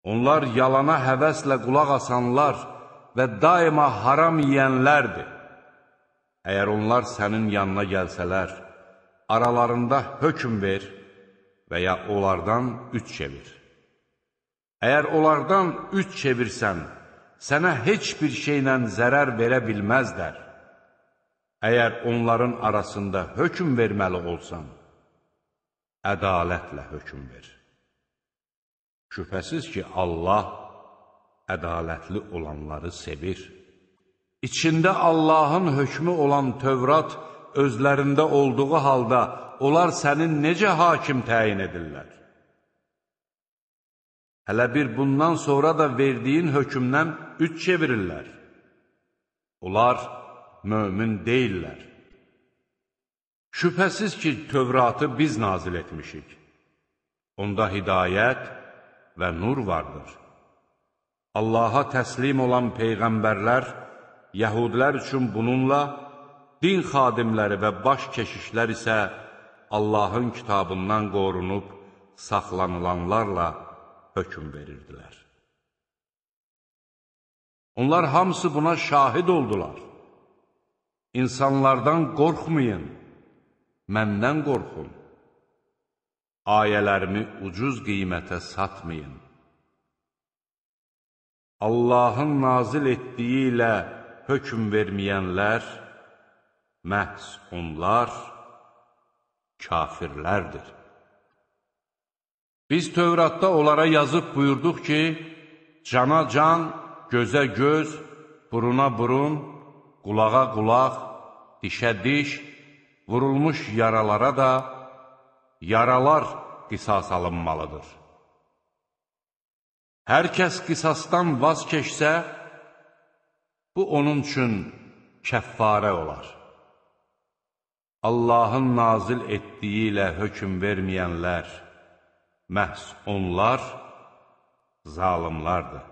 Onlar yalana həvəslə qulaq asanlar və daima haram yiyənlərdir. Əgər onlar sənin yanına gəlsələr, aralarında hökm ver və ya onlardan üç çevir. Əgər onlardan üç çevirsən, sənə heç bir şeylə zərər verə bilməzlər. Əgər onların arasında hökm verməli olsan, ədalətlə hökm ver. Şübhəsiz ki, Allah ədalətli olanları sevir. İçində Allahın hökmü olan Tövrat özlərində olduğu halda onlar sənin necə hakim təyin edirlər? Hələ bir bundan sonra da verdiyin hökmdən üç çevirirlər. Onlar mömin deyirlər. Şübhəsiz ki, Tövratı biz nazil etmişik. Onda hidayət və nur vardır. Allaha təslim olan peyğəmbərlər, yəhudilər üçün bununla, din xadimləri və baş keşişlər isə Allahın kitabından qorunub saxlanılanlarla hökm verirdilər. Onlar hamısı buna şahid oldular. İnsanlardan qorxmayın, məndən qorxun. Ayələrimi ucuz qiymətə satmayın. Allahın nazil etdiyi ilə hökm verməyənlər, məhz onlar kafirlərdir. Biz Tövratda onlara yazıb buyurduq ki, cana can, gözə göz, buruna burun, qulağa qulaq, dişə diş, vurulmuş yaralara da yaralar qisas alınmalıdır. Hər kəs qisasdan vaz keçsə, bu onun üçün kəffarə olar. Allahın nazil etdiyi ilə hökm verməyənlər, məhz onlar zalimlardır.